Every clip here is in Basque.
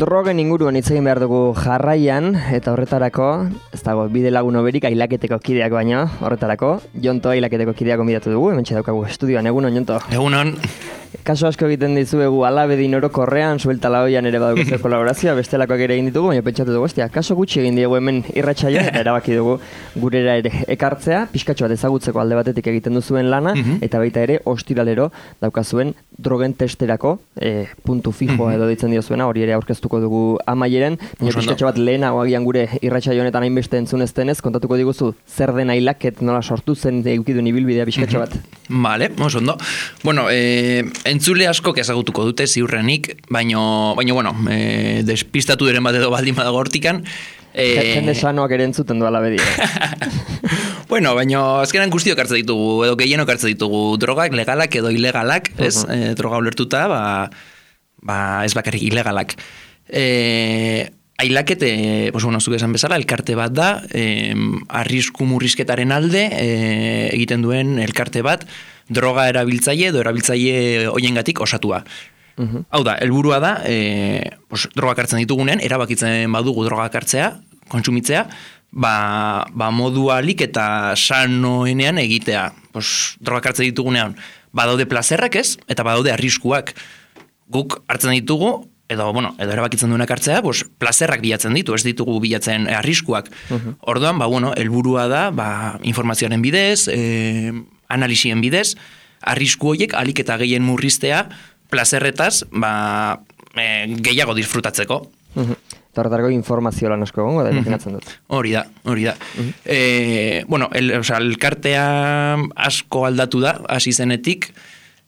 Drogen inguruan hitz egin behar dugu jarraian, eta horretarako, ez dago, bide lagun oberik ailaketeko kideak baino, horretarako, Jonto ailaketeko kideak gonbidatu dugu, hementxe daukagu estudioan, egunon, Jonto? Egunon. Kaso asko egiten dizuegu alabedin orokorrean, suelta laoian ere badugu kolaborazioa, bestelakoak ere egin ditugu, baina pentsatu dugu, kaso gutxi egin diegu hemen irratsaioa, eta erabaki dugu gurera ere ekartzea, pixkatxo bat ezagutzeko alde batetik egiten duzuen lana, eta baita ere ostiralero daukazuen drogen testerako, puntu fijoa edo ditzen diozuena, hori ere aurkeztuko dugu amaieren, baina pixkatxo bat lehenago agian gure irratsaio honetan hainbeste entzuneztenez, kontatuko diguzu zer den ailaket nola sortu zen eukidun ibilbidea pixkatxo bat. Vale, ondo. Bueno, entzule asko ezagutuko dute ziurrenik, baina bueno, despistatu diren bat edo baldin badago hortikan. Jende sanoak ere entzuten du alabedi. Bueno, baina azkenan guztiok hartzen ditugu, edo gehienok hartzen ditugu drogak, legalak edo ilegalak, ez? Droga ulertuta, ez bakarrik ilegalak. Ailakete, zuk esan bezala, elkarte bat da, arrisku murrizketaren alde egiten duen elkarte bat, droga erabiltzaile edo erabiltzaile hoiengatik osatua. Hau da, helburua da, drogak hartzen ditugunean, erabakitzen badugu drogak hartzea, kontsumitzea, modu alik eta sanoenean egitea. Drogak hartzen ditugunean, badaude plazerrak ez, eta badaude arriskuak. Guk hartzen ditugu, edo erabakitzen duenak hartzea, plazerrak bilatzen ditu, ez ditugu bilatzen arriskuak. Orduan, helburua da, informazioaren bidez, analisien bidez, arrisku horiek alik eta gehien murriztea, plazerretaz, gehiago disfrutatzeko. Eta horretarako informazio lan asko egongo da, imaginatzen dut. Hori da. Elkartea asko aldatu da, hasi zenetik,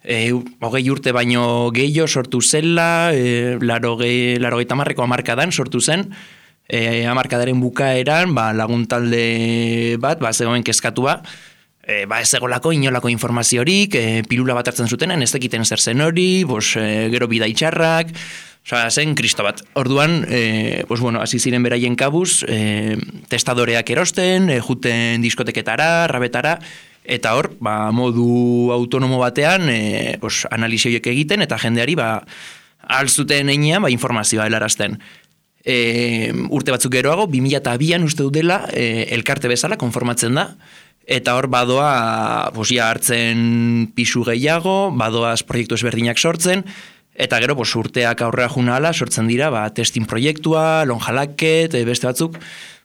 20 urte baino gehiago sortu zela, 80ko hamarkadan sortu zen, hamarkadaren bukaeran laguntalde bat, zegoen kezkatua, ez egolako inolako informaziorik, pilula bat hartzen zutenen, ez dakiten zer zen hori, gero bidaitxarrak, zen kristo bat. Orduan, hasi ziren beraien kabuz, testadoreak erosten, juten diskoteketara, rabetara, eta hor, modu autonomo batean, analizioiek egiten, eta jendeari, alzuten einean, informazioa helarazten. Urte batzuk geroago, 2002an uste dut dela, elkarte bezala konformatzen da, eta hor badoa hartzen pisu gehiago, badoaz proiektu ezberdinak sortzen, eta gero urteak aurrera junala sortzen dira testing proiektua, lonjalaket, beste batzuk,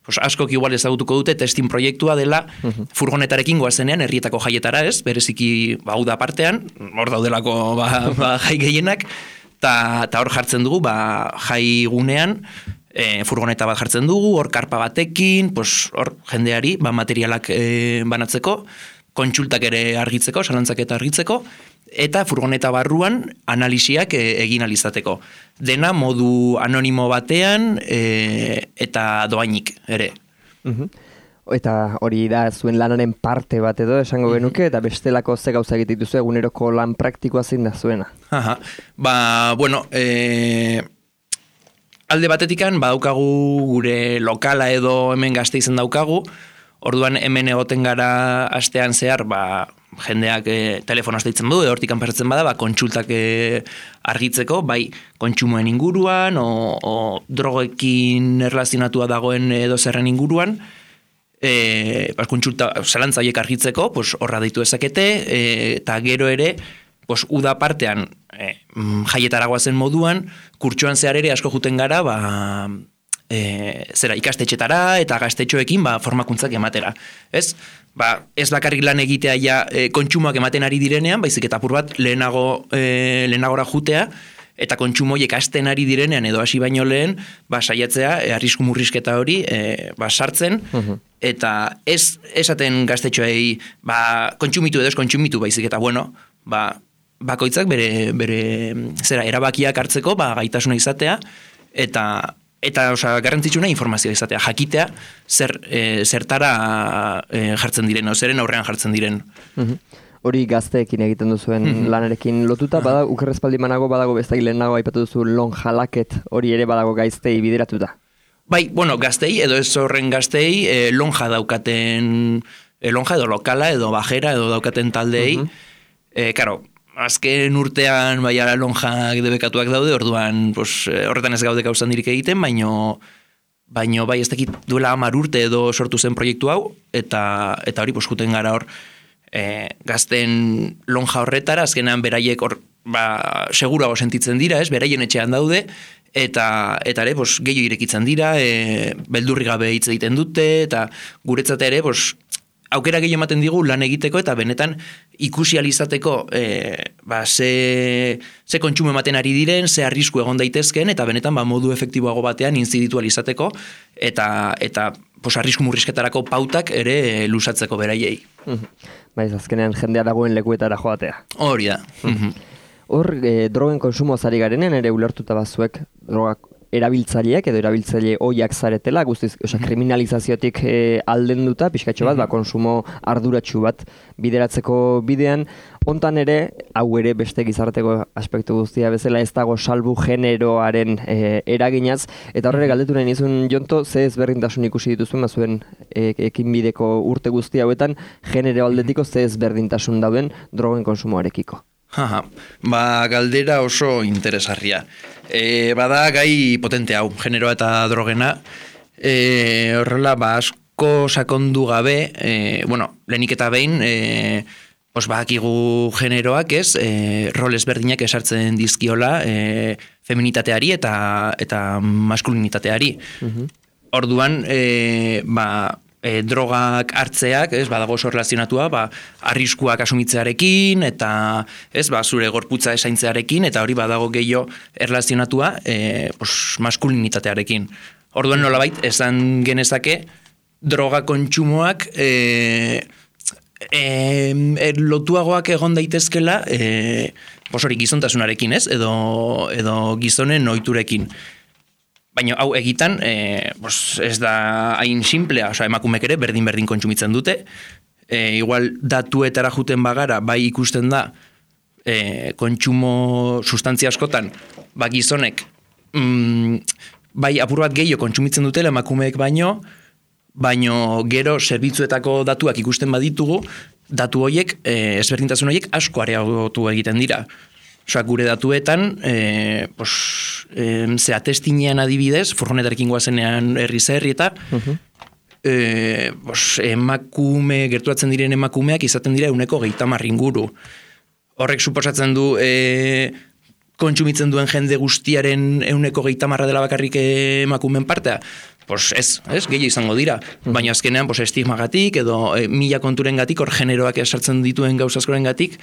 askok igual ezagutuko dute testing proiektua dela furgonetarekin goazenean herrietako jaietara ez, bereziki hau da partean, hor daudelako jai gehienak, eta hor jartzen dugu jai gunean, furgoneta bat jartzen dugu, hor karpa batekin, hor jendeari materialak banatzeko, kontsultak ere argitzeko, salantzak eta argitzeko, eta furgoneta barruan analisiak egin alizateko. Dena modu anonimo batean eta doainik ere. Eta hori da zuen lanaren parte bat edo esango genuke, eta bestelako ze gauza egiten duzu eguneroko lan praktikoa zein da zuena. Alde batetikan badaukagu gure lokala edo hemen Gasteizen daukagu, orduan hemen egoten gara astean zehar, jendeak telefonoz deitzen du, hortikan pasatzen bada, kontsultak argitzeko, bai kontsumoen inguruan, o drogekin erlazionatua dagoen edo zerren inguruan, kontsulta zalantzaiek argitzeko, horra deitu ezakete, eta gero ere, uda partean jaietaragoa zen moduan, kurtsoan zehar ere asko juten gara, ikastetxetara eta gaztetxoekin formakuntzak ematera. Ez bakarrik lan egitea kontsumoak ematen ari direnean, baizik eta apur bat lehenagora jutea, eta kontsumoiek hasten ari direnean edo hasi baino lehen, saiatzea, arrisku murrizketa hori sartzen, eta ez esaten gaztetxoei kontsumitu edo ez kontsumitu, baizik eta bakoitzak bere erabakiak hartzeko gaitasuna izatea, eta Eta, garrantzitsuna informazioa izatea, jakitea zertara jartzen diren, zeren aurrean jartzen diren. Hori gazteekin egiten duzuen lanarekin lotuta, badago, ukerrezpaldi manago badago bestak lehenago aipatu duzu lon jalaket, hori ere badago gaiztei bideratuta. Bai, gaztei, edo ez horren gaztei, lonja daukaten, lonja edo lokala, edo bajera, edo daukaten taldei, karo, azken urtean baiara lonjak debekatuak daude, orduan horretan ez gaude gauzan dirik egiten, baino bai ez dakit duela 10 urte edo sortu zen proiektu hau, eta hori juten gara hor gazten lonja horretara, azkenean beraiek hor segurago sentitzen dira, beraien etxean daude, eta ere gehiago irekitzen dira, beldurri gabe hitz egiten dute, eta guretzat ere aukera gehiago ematen digu lan egiteko eta benetan ikusi alizateko ze kontsumo ematen ari diren, ze arrisku egon daitezken eta benetan modu efektiboago batean inziditu alizateko eta arrisku murrizketarako pautak ere lusatzeko beraiei. Baiz, azkenean jendea dagoen lekuetara joatea. Hori da. Hor, drogen konsumo zari garenen ere ulertuta bazuek drogak erabiltzaileak edo erabiltzaile oiak zaretela, guztiz, kriminalizaziotik aldenduta, pixkatxo bat, konsumo arduratsu bat bideratzeko bidean, hontan ere, hau ere beste gizarteko aspektu guztia bezala ez dago salbu generoaren eraginaz, eta horre galdetu nahi nizun Jonto, ze ezberdintasun ikusi dituzuen, bazuen ekinbideko urte guzti hauetan, genero aldetiko ze ezberdintasun dauden drogen konsumoarekiko. Galdera oso interesgarria. Bada gai potente hau, generoa eta drogena. Horrela, asko sakondu gabe, lehenik eta behin, bakigu generoak rol ezberdinak esartzen dizkiola feminitateari eta maskulinitateari. Orduan, drogak hartzeak, badago oso relazionatua, arriskuak asumitzearekin, eta zure gorputza esaintzearekin, eta hori badago gehiago erlazionatua maskulinitatearekin. Orduan nolabait, esan genezake, droga kontsumoak lotuagoak egon daitezkela, hori gizontasunarekin, edo gizonen ohiturekin. Baina hau egitan, ez da hain simplea, emakumek ere berdin kontsumitzen dute. Igual datuetara juten bagara, bai ikusten da, kontsumo sustantzia askotan, gizonek, bai apur bat gehiago kontsumitzen dutela emakumeek baino gero zerbitzuetako datuak ikusten baditugu, datu horiek, ezberdintasun horiek asko areagotu egiten dira. Gure datuetan, ze atestinean adibidez, furgonetarekin guazenean herri eta gerturatzen diren emakumeak izaten dira 130 inguru. Horrek suposatzen du kontsumitzen duen jende guztiaren 130 dela bakarrik emakumeen partea. Ez, gehiago izango dira. Baina azkenean estigmagatik edo 1000 konturengatik, hor generoak esartzen dituen gauzaskorengatik,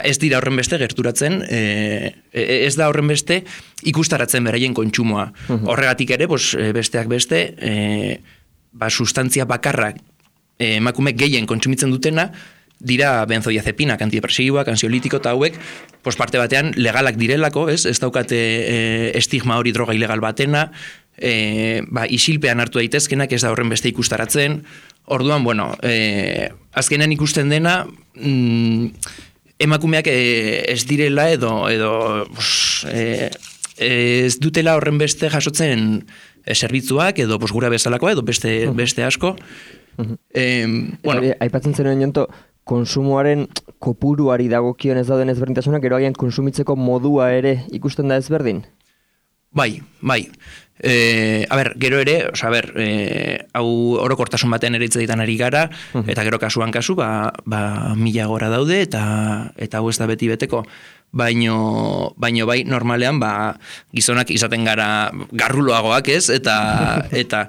ez dira horren beste gerturatzen, ez da horren beste ikustaratzen beraien kontsumoa. Horregatik ere, besteak beste, sustantzia bakarrak emakume gehien kontsumitzen dutena, dira benzodiazepinak, antidepresiboak, ansiolitiko eta hauek, parte batean legalak direlako, ez daukate estigma hori droga ilegal batena, isilpean hartu daitezkenak, ez da horren beste ikustaratzen. Orduan, azkenean ikusten dena, emakumeak ez direla edo ez dutela horren beste jasotzen zerbitzuak edo gura bezalakoa edo beste asko. Aipatzen zenuen Jonto, konsumoaren kopuruari dagokion ez dauden ezberdintasunak, gero agian konsumitzeko modua ere ikusten da ezberdin? Bai. Gero ere, hau orokortasun batean ere hitz ari gara, eta gero kasuan kasu, 1000 gora daude, eta hau ez da beti beteko. Baino bai, normalean, gizonak izaten gara garruloagoak ez, eta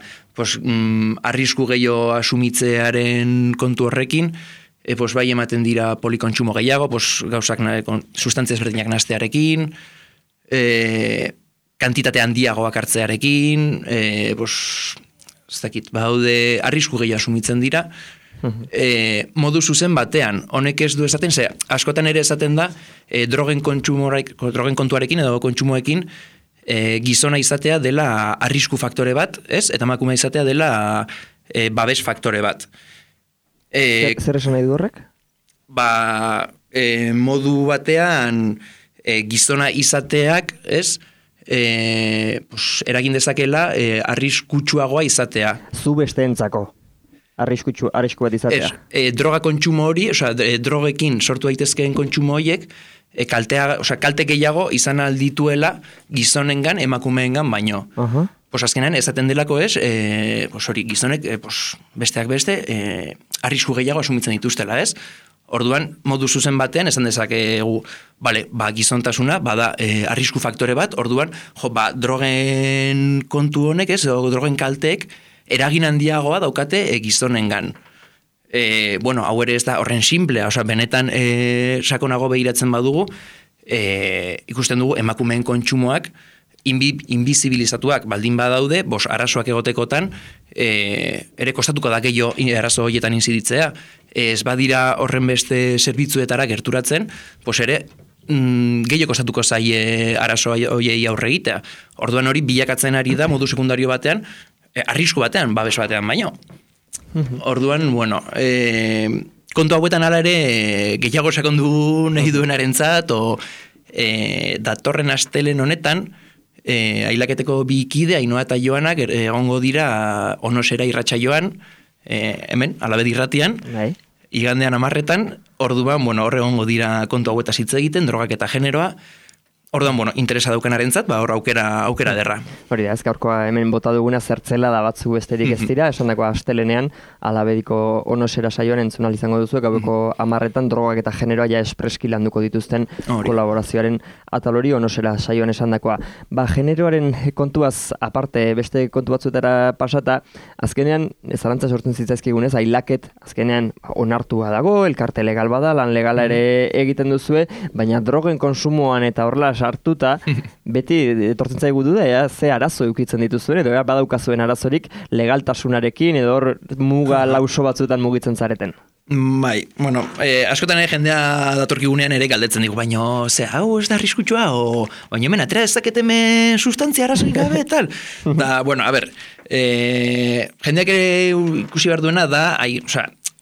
arrisku gehiago asumitzearen kontu horrekin, bai ematen dira polikontsumo gehiago, gauzak sustantzia ezberdinak nastearekin, kantitate handiagoak hartzearekin, baude arrisku gehiago asumitzen dira, modu zuzen batean, honek ez du esaten, askotan ere esaten da, drogen kontuarekin edo kontsumoekin, gizona izatea dela arrisku faktore bat, ez? Eta emakumea izatea dela babes faktore bat. Zer esan nahi du horrek? Modu batean gizona izateak, ez? Eragin dezakela arriskutsuagoa izatea. Zu besteentzako. Arrisku bat izatea. Droga kontsumo hori, drogekin sortu daitezkeen kontsumo horiek, kalte gehiago izan aldituela gizonengan, emakumeengan baino. Azkenean, ezaten delako gizonek, besteak beste, arrisku gehiago asumitzen dituztela, ez? Orduan, modu zuzen batean, esan dezakegu, gizontasuna, bada arrisku faktore bat, orduan, drogen kontu honek, ez, drogen kalteek, eragin handiagoa daukate gizonengan. Hau ere ez da horren simplea, benetan sakonago behiratzen badugu, ikusten dugu emakumeen kontsumoak inbizibilizatuak baldin badaude, arazoak egotekotan, ere kostatuko da gehiago arazo horietan inziditzea. Ez badira horren beste zerbitzuetara gerturatzen, ere gehiago kostatuko zaie arazo horiei aurre egitea. Orduan hori bilakatzen ari da modu sekundario batean, arrisku batean, babes batean baino. Orduan, kontu hauetan ala ere gehiago sakondu nahi duenarentzat, datorren astelen honetan, ailaketeko bi kide, Ainhoa eta Joanak, egongo dira Onosera irratsaioan, hemen, Alabedi irratian, igandean 10:00, orduan, hor egongo dira kontu hauetaz hitz egiten, drogak eta generoa. Orduan, interesa daukenarentzat, hor aukera derra. Hori da, ez gaurkoa hemen bota duguna zertzela da batzu besterik ez dira, esan dagoa astelenean, Alabediko Onosera saioan entzunal izango duzu, gaueko 10:00 drogak eta generoa ja espreski landuko dituzten kolaborazioaren atal hori Onosera saioan esan dagoa. Generoaren kontuaz aparte, beste kontu batzuetara pasata, azkenean, zalantza sortzen zitzaizkigunez, ailaket, azkenean onartua dago, elkarte legal bada, lan legala ere egiten duzue, baina drogen konsumoan eta horrela sartuta, beti etortzen zaigu duda, ze arazo eukitzen dituzuen, edo badaukazuen arazorik legaltasunarekin, edo hor muga lauso batzuetan mugitzen zareten. Askotan jendea datorkigunean ere galdetzen digu, baina hau ez da arriskutsua, baina hemen atera ezaketeme sustantzia arazoik gabe, tal. Jendeak ere ikusi behar duena da,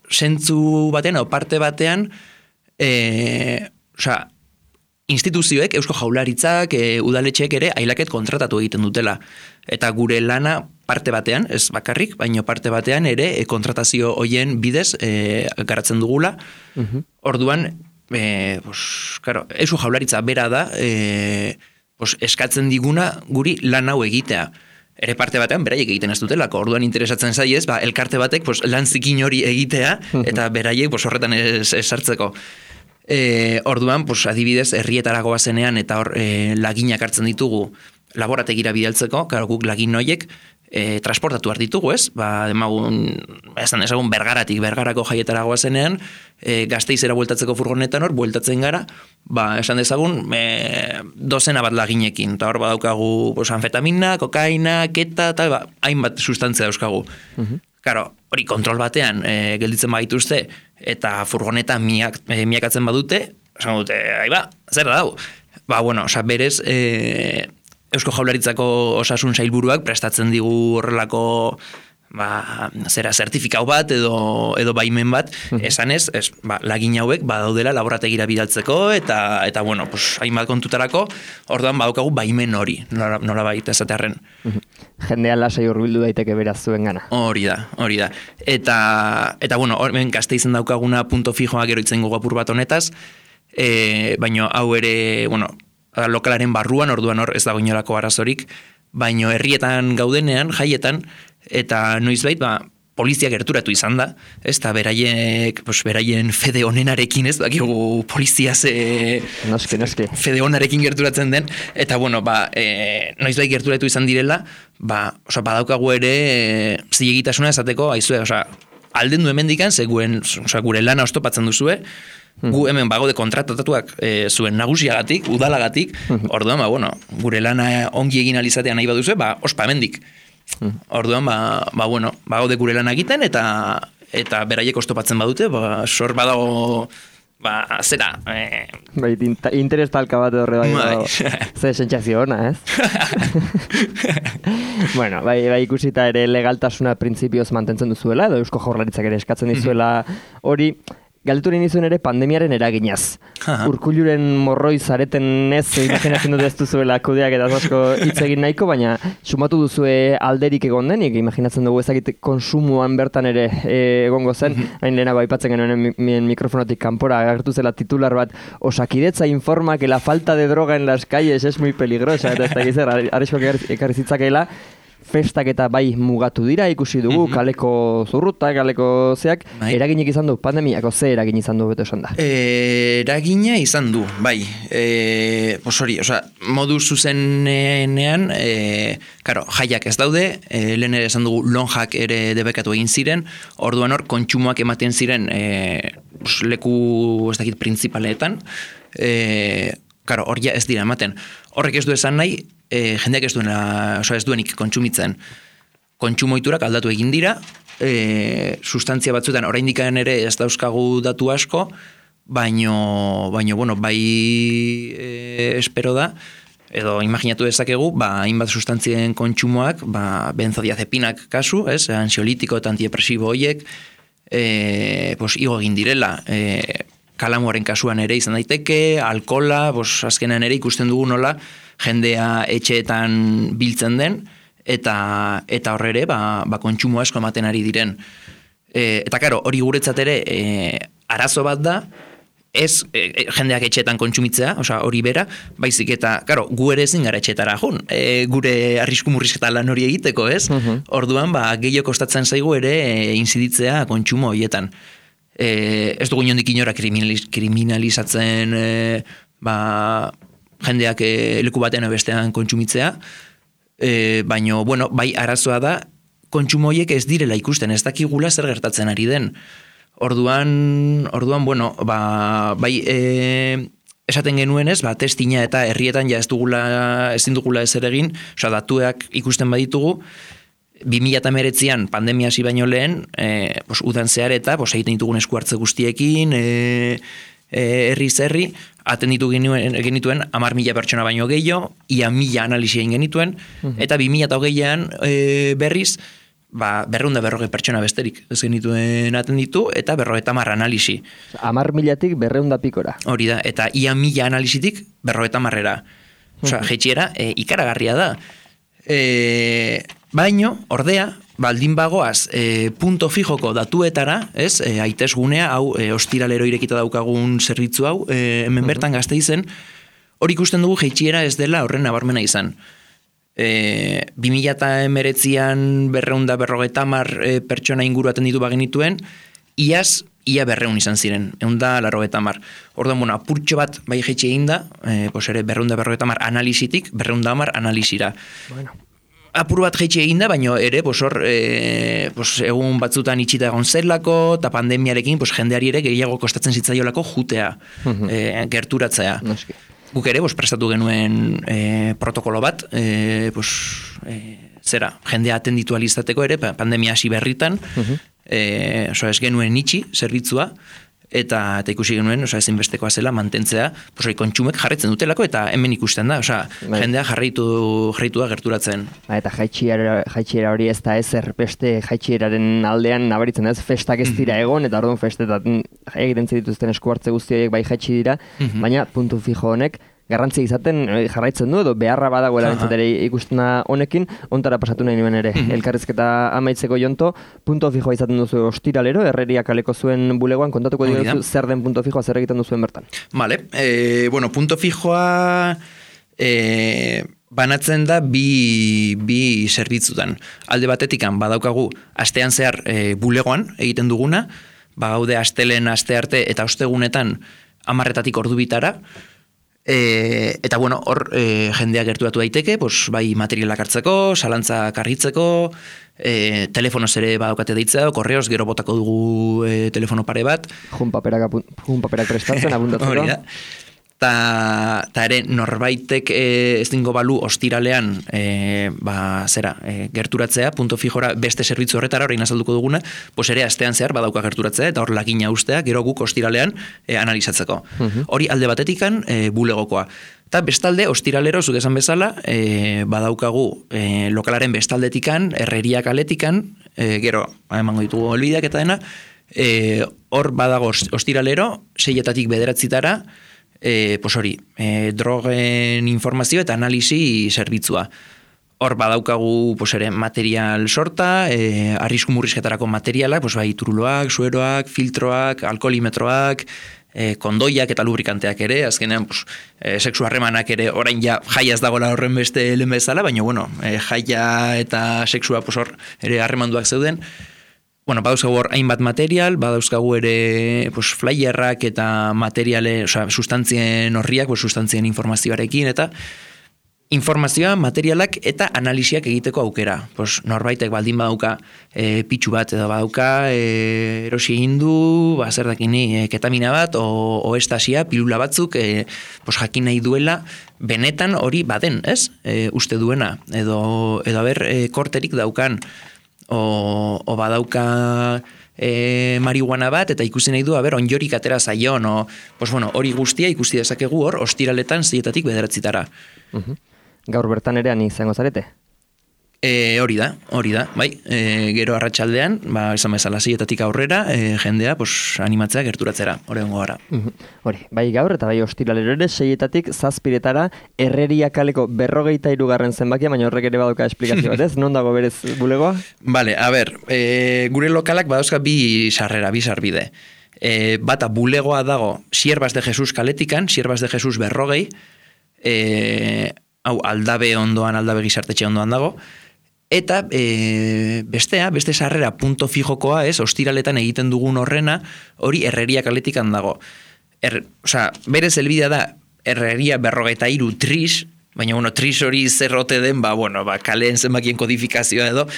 zentzu batean, o parte batean, instituzioek, Eusko Jaurlaritzak, udaletxeek ere ailaket kontratatu egiten dutela. Eta gure lana parte batean, ez bakarrik, baino parte batean ere kontratazio hoien bidez garatzen dugula. Orduan, Eusko Jaurlaritza bera da eskatzen diguna guri lan hau egitea. Ere parte batean beraiek egiten ez dutelako, orduan interesatzen zaiez, elkarte batek lan zikin hori egitea, eta beraiek horretan esartzeko. Orduan, adibidez, herrietarago bazenean eta hor laginak hartzen ditugu laborategira bidaltzeko, guk lagin noiek transportatu behar ditugu, ez? Ezagun Bergarako jaietarago bazenean, Gasteizera bueltatzeko furgonetan hor, bueltatzen gara, esan dezagun, dozena bat laginekin, eta hor badaukagu anfetamina, kokaina, keta, hainbat sustantzia dauzkagu. Hori kontrol batean gelditzen badituzte eta furgoneta miakatzen badute, esan dute, zer da dau? Berez, Eusko Jaurlaritzako osasun sailburuak prestatzen digu horrelako zertifikau bat edo baimen bat, esanez, lagin hauek badaudela laborategira bidaltzeko eta hainbat kontutarako, orduan badaukagu baimen hori, nola baita esatearren. Jendean lasai hurbildu daiteke beraz zuen gana. Hori da. Eta hemen Gasteizen daukaguna punto fijoa gero itzen gogo apur bat honetaz, baina hau ere, lokalaren barruan, orduan hor ez dago inolako arazorik, baina herrietan gaudenean, jaietan, eta noizbait, polizia gerturatu izan da, ez da beraien fede honenarekin, ez dakigu polizia Noski. fede honarekin gerturatzen den, eta noizbait gerturatu izan direla, badaukagu ere zilegitasuna esateko, aizue, alden du hemendikan, gure lana oztopatzen duzue, gu hemen bagaude kontratatuak zuen nagusiagatik, udalagatik, orduan, gure lana ongi egin alizatean nahi baduzue, ospa hemendik. Orduan, bagaude gure lan egiten eta beraiek oztopatzen badute, sor badago zera... Bai, interes talka bat horre bai. Ze sentsazio ona, ez? Bueno, bai ikusita ere legaltasuna printzipioz mantentzen duzuela, edo Eusko Jaurlaritzak ere eskatzen dizuela hori, galdetu nahi nizuen ere pandemiaren eraginaz. Urkulluren morroi zareten ez, imaginatzen dut ez duzuela kudeak eta asko hitz egin nahiko, baina sumatu duzue alderik egon denik, imaginatzen dugu ezagite konsumoan bertan ere egongo zen, hain lehenago aipatzen genuen mikrofonotik kanpora agertu zela titular bat, Osakidetza informa que la falta de droga en las calles es muy peligrosa, eta ez da gizera, arriskoak ekarri zitzakeela, festak eta bai mugatu dira, ikusi dugu, kaleko zurruta, kaleko zeak, eraginik izan du, pandemiako ze eragin izan du, beto esan da? Eragina izan du, bai. Modu zuzenean, jaiak ez daude, lehen ere esan dugu lonjak ere debekatu egin ziren, orduan hor, kontsumoak ematen ziren leku, ez dakit, printzipaletan, hor ja ez dira ematen. Horrek ez du esan nahi, jendeak ez duenik kontsumitzen. Kontsumoiturak aldatu egin dira, sustantzia batzuetan oraindik ere ez dauzkagu datu asko, baino bai espero da, edo imaginatu dezakegu, hainbat sustantzien kontsumoak, benzodiazepinak kasu, ansiolitiko eta antidepresibo horiek, igo egin direla, kalamuaren kasuan ere izan daiteke, alkola, azkenean ere ikusten dugu nola, jendea etxeetan biltzen den, eta horre ere, kontsumo asko ematen ari diren. Eta karo, hori guretzat ere, arazo bat da, ez jendeak etxeetan kontsumitzea, hori bera, baizik eta, karo, gu ere ezin gara etxeetara jun, gure arrisku murrizketa lan hori egiteko, ez? Orduan, gehiago kostatzen zaigu ere inziditzea kontsumo horietan. Ez dugu inondik inora kriminalizatzen jendeak leku batean bestean kontsumitzea, baina, bai arazoa da, kontsumo horiek ez direla ikusten, ez dakigula zer gertatzen ari den. Orduan, bai esaten genuen ez, testina eta herrietan ja ezin dugula ezer egin, datuak ikusten baditugu, 2019an pandemia hasi baino lehen, udan zehar eta egiten ditugun esku hartze guztiekin, herri, atenditu genituen 10.000 pertsona baino gehiago, ia 1.000 analisi egin genituen, eta 2020an berriz, 240 pertsona besterik ez genituen atenditu, eta 50 analisi. 10.000tik 200 pikora. Hori da, eta ia 1.000 analisitik 50-era. Jetxiera, ikaragarria da. Baino, ordea, baldin bagoaz, punto fijoko datuetara, ez, aitesgunea, hau, ostiralero irekita daukagun zerbitzu hau, hemen bertan Gasteizen, hori ikusten dugu jeitsiera ez dela horren nabarmena izan. 2019an 250 pertsona inguru atenditu bagenituen, iaz, ia 200 izan ziren, 190. Orduan, apurtxo bat bai jeitsi egin da, ere 250 analisitik, 210 analisira. Apur bat jeitsi egin da, baina ere, egun batzutan itxita egon zelako, eta pandemiarekin jendeari ere gehiago kostatzen zitzaiolako jutea, gerturatzea. Guk ere, prestatu genuen protokolo bat, jendea atenditu alizateko ere, pandemia hasi berritan, ez genuen itxi zerbitzua, eta ikusi genuen, ezinbestekoa zela mantentzea, kontsumek jarraitzen dutelako, eta hemen ikusten da, jendea jarraitu da gerturatzen. Eta jaitsiera hori ez da ezer beste jaitsieraren aldean nabaritzen ez, festak ez dira egon, eta orduan festetan egiten dituzten esku hartze guzti horiek bai jaitsi dira, baina puntu fijo honek garrantzia izaten jarraitzen du, edo beharra badagoela bentsatere ikustena honekin, ontara pasatu nahi nuen ere. Elkarrizketa amaitzeko Jonto, punto fijoa izaten duzu ostiralero, herreria kaleko zuen bulegoan, kontatuko dira zer den punto fijoa, zer egiten duzuen bertan. Vale, punto fijoa banatzen da bi zerbitzutan. Alde batetikan badaukagu astean zehar bulegoan egiten duguna, gaude astelen, astearte eta ostegunetan 10:00 ordubitara, eta hor jendea gerturatu daiteke, bai materialak hartzeko, zalantzak argitzeko, telefonoz ere badaukate deitzea, korreoz, gero botako dugu telefono pare bat. Jun paperak prestatzen, abundatzeko. Hori da. ta ere norbaitek ez dingo balu ostiralean gerturatzea, punto fijora beste zerbitzu horretara, orain azalduko duguna, pues ere astean zehar badauka gerturatzea, eta hor lagina ustea, gero guk ostiralean analizatzeko. Hori alde batetikan bulegokoa. Eta bestalde, ostiralero, zuk esan bezala, badaukagu lokalaren bestaldetikan, Herreria kaletikan, gero, emango ditugu helbideak eta dena, hor badago ostiralero, 6-etatik 9-etara, pues hori, drogen informazio eta analisi zerbitzua. Hor badaukagu pues ere material sorta, arrisku murrizketarako materialak, pues bai turuloak, sueroak, filtroak, alkoholimetroak, kondoiak eta lubrikanteak ere, azkenean pues, sexu harremanak ere orain ja jaia ez dagoela horren beste lehen bezala, baina bueno, jaia eta sexua pues hor ere harremanduak zeuden. Bueno, badauzkagu hor hainbat material, badauzkagu ere pues, flyerrak eta materiale, sustantzien horriak, pues, sustantzien informazioarekin, eta informazioa, materialak eta analisiak egiteko aukera. Pues, norbaitek baldin badauka pitxu bat, edo badauka erosi egin du, zer dakini, ketamina bat, o estasia, pilula batzuk, pues, jakin nahi duela, benetan hori baden, ez? Uste duena, edo haber korterik daukan, o badauka marihuana bat, eta ikusi nahi du, onjorik atera zaion, pues bueno, hori guztia ikusi dezakegu hor, ostiraletan 6-etatik 9-etara. Gaur bertan ere izango zarete? Hori da, bai, gero arratsaldean, esan bezala 6-etatik aurrera, jendea, pues, animatzea gerturatzera, hori ongo gara. Hori, bai gaur eta bai ostiralero ere 6-etatik 7-etara Herreria kaleko 43. zenbakia, baina horrek ere baduka esplikazio bat, ez? Non dago berez bulegoa? Vale, gure lokalak badauzka bi sarrera, bi sarbide. Bata bulegoa dago Sierbas de Jesus kaletikan, Sierbas de Jesus 40, hau Aldabe ondoan, Aldabe gizartetxe ondoan dago, eta beste sarrera punto fijokoa, ez, ostiraletan egiten dugun horrena, hori Herreria kaletikan dago. Berez helbidea da Herreria 43 tris, baina bueno, tris hori zerrote den, kaleen zenbakien kodifikazioa edo,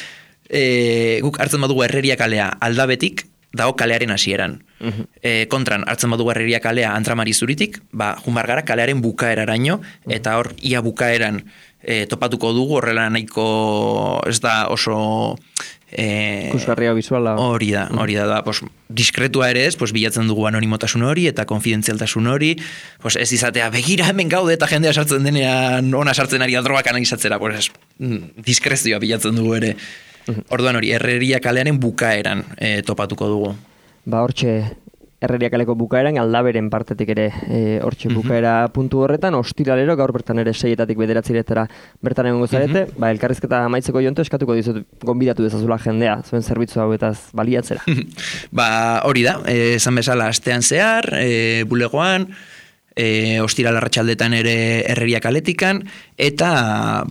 guk hartzen badugu Herreria kalea Aldabetik, dago kalearen hasieran. Kontran, hartzen badugu Herreria kalea Antramari zuritik, junbar gara kalearen bukaeraraino, eta hor ia bukaeran topatuko dugu, horrela nahiko ez da oso ikusgarria bisuala. Hori da, pues, diskretua ere ez, pues, bilatzen dugu anonimotasun hori eta konfidentzialtasun hori, pues, ez izatea begira hemen gaude eta jendea sartzen denean ona sartzen ari da drogak analizatzera, pues, diskrezioa bilatzen dugu ere. Orduan hori, Herreria kalearen bukaeran topatuko dugu. Hortxe, Herreria kaleko bukaeran, Aldaberen partetik ere hortxe bukaera puntu horretan, ostiralero gaur bertan ere 6-etatik 9-etara bertan egongo zarete, elkarrizketa amaitzeko jonto eskatuko dizut gonbidatu dezazula jendea, zuen zerbitzu hauetaz baliatzera. Hori da, esan bezala astean zehar, bulegoan, ostiral arratsaldetan ere Herreria kaletikan, eta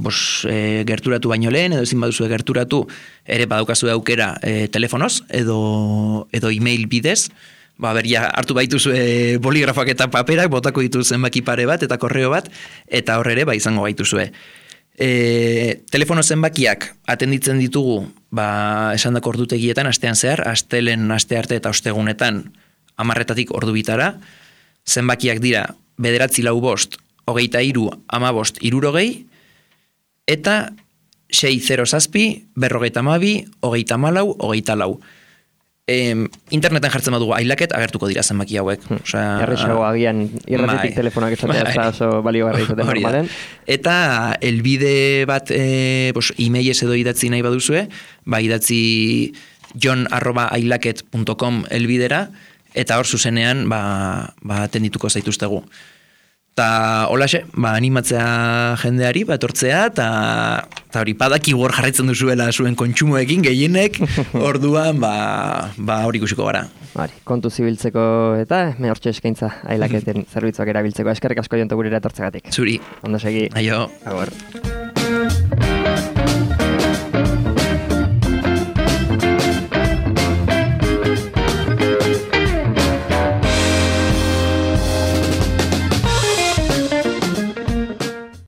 gerturatu baino lehen, edo ezin baduzu gerturatu, ere badaukazu aukera telefonoz, edo email bidez, hartu baituzue boligrafoak eta paperak, botako ditu zenbaki pare bat eta korreo bat, eta horre ere izango baituzue. Telefono zenbakiak atenditzen ditugu, esandako ordutegietan astean zehar, astelen, astearte eta ostegunetan 10-etatik ordu bitara, zenbakiak dira 945 23 15 60, eta 607 42 24 24. Interneten jartzen badugu ailaket agertuko dira zenbaki hauek. Erresago agian irratitik telefonak esatea ez da oso baliogarri izaten normalen. Eta elbide bat emailez edo idatzi nahi baduzue, idatzi jon@ailaket.com elbidera, eta hor zuzenean atendituko zaituztegu. Eta holaxe, animatzea jendeari, etortzea, eta hori padaki hor jarraitzen duzuela zuen kontsumoekin gehienek, orduan hori ikusiko gara. Kontu zibiltzeko eta hortxe eskaintza ailaketen zerbitzuak erabiltzeko. Eskerrik asko jonto gurera etortzegatik. Zuri. Ondo segi. Aio. Agur.